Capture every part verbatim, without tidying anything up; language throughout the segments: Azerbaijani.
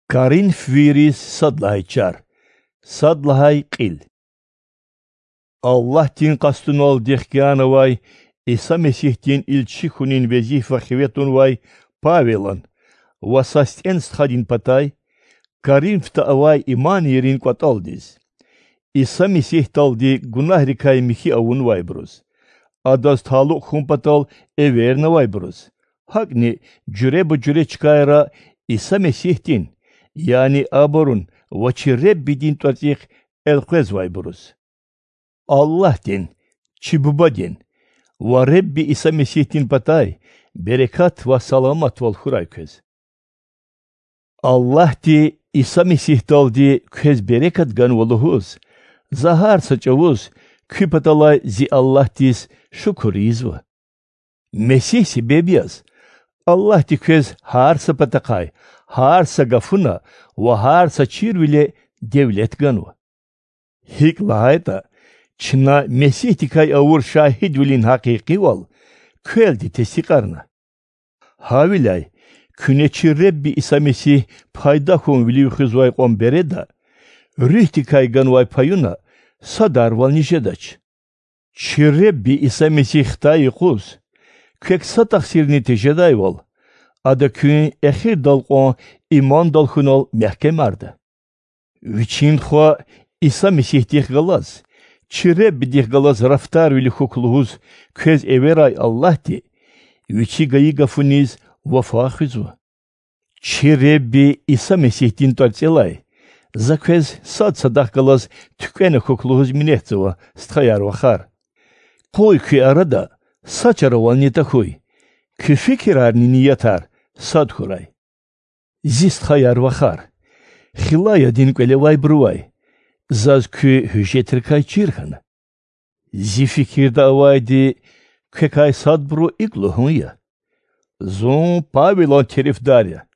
Karin fviris sadlahay çar. Sadlahay qil. Allah tin qastun ol dihkanavay, İsa Mesih tin ilçi hunin vezifa хветун вай Павелан, васастен стхадин патай, Karin vtaavay iman yerin qataldis. İsa Mesih taldi günah rikay mihi avun vay bruz. Adas taluk humpatal everna vay bruz. Hakni cüre bu cüre çıkayra İsa Mesih tin, yani aborun vaçirre bidin tatih elquez vay bruz. Allah din, çibuba din, va Rebbi İsa Mesih tin patay, berekat ve salamat ol hurayköz. Allah di İsa Mesih daldi köz berekat gan oluhuz, zahar saçavuz, küpatalay zi Allah dis şukur izva. Mesih sebebiyaz, Allah di köz harsa patakay, harsa gafuna ve harsa çirvile devlet ganu. Hik lahayta, çına Mesih tikay avur şahid vilin hakiki ol, köldi tesikarna. Havilay, küneçi Rebbi İsa Mesih payda hun vili hızvay qom bereda, rühti kaygan vay payuna, sadar val nişedaç. Çi Rebbi İsa Mesih tayi quz, kök satak sirni tejeday val, ada kün ehir dal qon iman dal hunal mehkem arda. Viçin xwa İsa Mesih dih galaz, çi Rebbi dih galaz raftar vili hukluhuz, köz everay Allah di, viçi gayi gafuniz, Vafa hızva. Çi Rebbi İsa Mesih din tartselay, zakwez sad sadak galaz tükene hukluhuz minehtzeva sthayar vakhar. Koy ki arada saçara val nitahuy, ki fikirar niyatar sad huray. Zist khayar vakhar, khilaya din kwelevay bruvay, zaz ki hüjetrikay çirkhana. Zi fikir da avaydi, kekay sad bru ikluhun ya. Zon Pavelon terifdarya,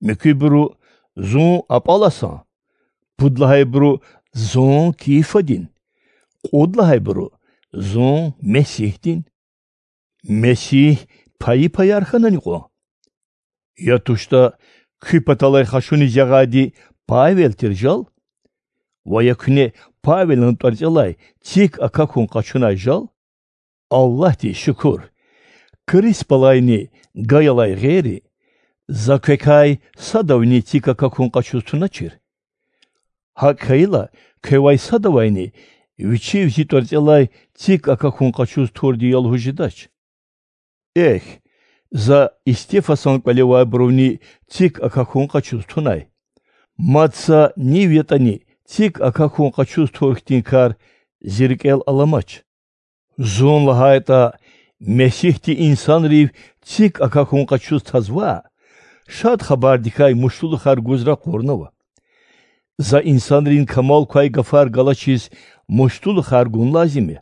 mekibru zon apalasan, pudlahay bru zon kifadin, qudlahay bru zon Mesihdin. Mesih payı payarxanan qo. Yatuşta küpatalay xaşuni jagadi Pavel terjal, vayakune Pavelon tarjalay tik akakun qaçunay jal, Allah di şükür. Kris palayni gayalay geri, zakekay sadavni tika kakun qaçustuna çir. Hakayla kevay sadavayni viçi vici torcelay tik akakun qaçus tordi yalhujidaç. Eh, za istefasan kwalevay bruvni tik akakun qaçustunay. Matsa ni vietani tik akakun qaçus torhtin kar zirkel alamaç. Zon lahayta Mesihti insan riv tik akakun qaçuz tazva, şad xabar dikay muştulu xar guzra qornava. Za insan rin kamal kay gafar galaçiz muştulu xar gun lazimi.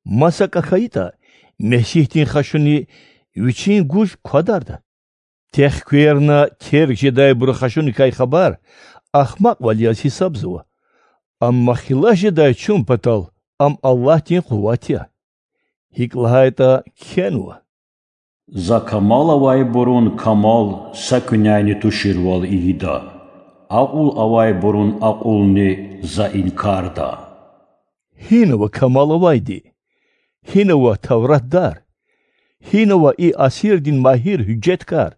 Masa kakayita Mesihtin xaşuni viçin guj qadarda. Tehkuyerna terk jeday buru xaşuni kay xabar, ahmaq valyas hisabzıva. Amma xila jeday çun patal, am Allah tin quvatiya. Hiklahayta kenua. За камал авай борун камал сакуняйни туширвал ида. Aqul avay borun aqulni za inkarda. Hinova kamal avaydi. Hinova tavratdar. Hinova i asirdin mahir hüccetkar.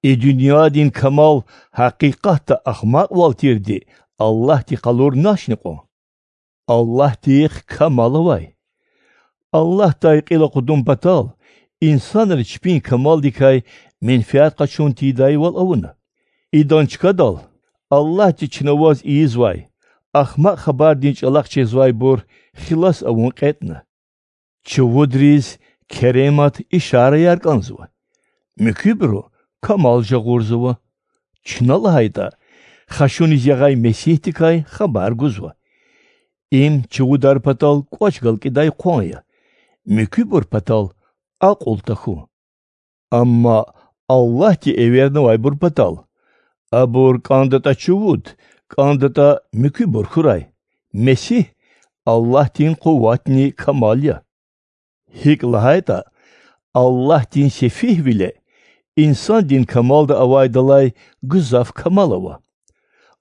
E dünyadin kamal hakikatta ahmak valtirdi. Allah ti kalur naşniko. Allah ti kamal avay. Allah dayqila qudum batal, insanlar çpin kamal dikay menfiat qaçun tiday wal avuna. İdan çıkadal, Allah ti çinavaz izvay, ahmaq xabar dinç alaq çezvay bor, xilas avun qetna. Çuvudriz, keremat işare yarqanzva. Mükübru, kamal jagurzuva. Çinal hayda, xaşun izyagay mesih dikay xabar guzva. İm çuvudar patal qoçgal kiday qonya. Mükübur patal aqul tahu. Amma Allah ti everna vay bur patal. Abur kandata çuvud, kandata mükübur huray. Mesih Allah tin kuvvatni kamalya. Hik lahayta Allah tin sefih bile İnsan din kamal da avaydalay gızaf kamalava.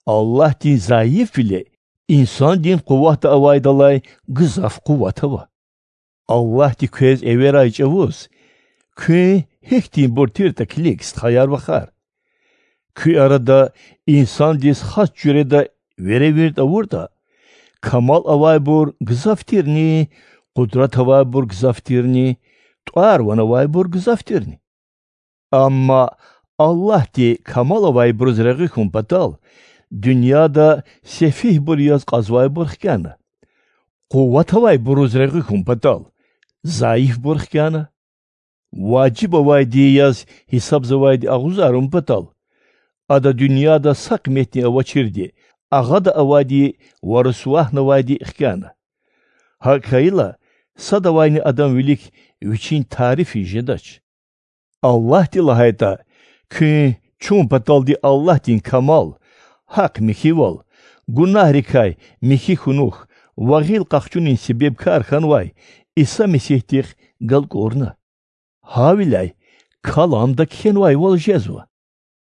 Allah din zayıf bile insan din kuvvet da avaydalay gızaf kuvvetava. Allah di köz everay çavuz. Kü hektin bortir da kliks hayar bakar. Kü arada insan dis has cüreda verevirt avurda. Kamal avay bor gızaftirni, kudret avay bor gızaftirni, tuar van avay bor gızaftirni. Ama Allah di kamal avay bor zragi kumpatal, dünyada sefih bor yaz qazvay bor xkana. Kuvvet avay bor zragi kumpatal, zayıf bor xkana. Vacib avay di yaz hisab zavay di ağuzarım patal. Ada dünyada sak metni avaçirdi. Ağa da avadi varısvah navadi xkana. Hakayla sadavayni adam vilik üçün tarifi jedaç. Allah di lahayta kü çun patal di Allah din kamal. Hak mihival. Günah rikay mihi hunuh. Vagil qaqçunin sebep kar khanvay. İsa mesihtir gal korna. Havilay kalamda kenvay wal jezva.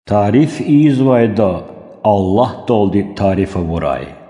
Tarif izvayda Allah doldi tarife vuray.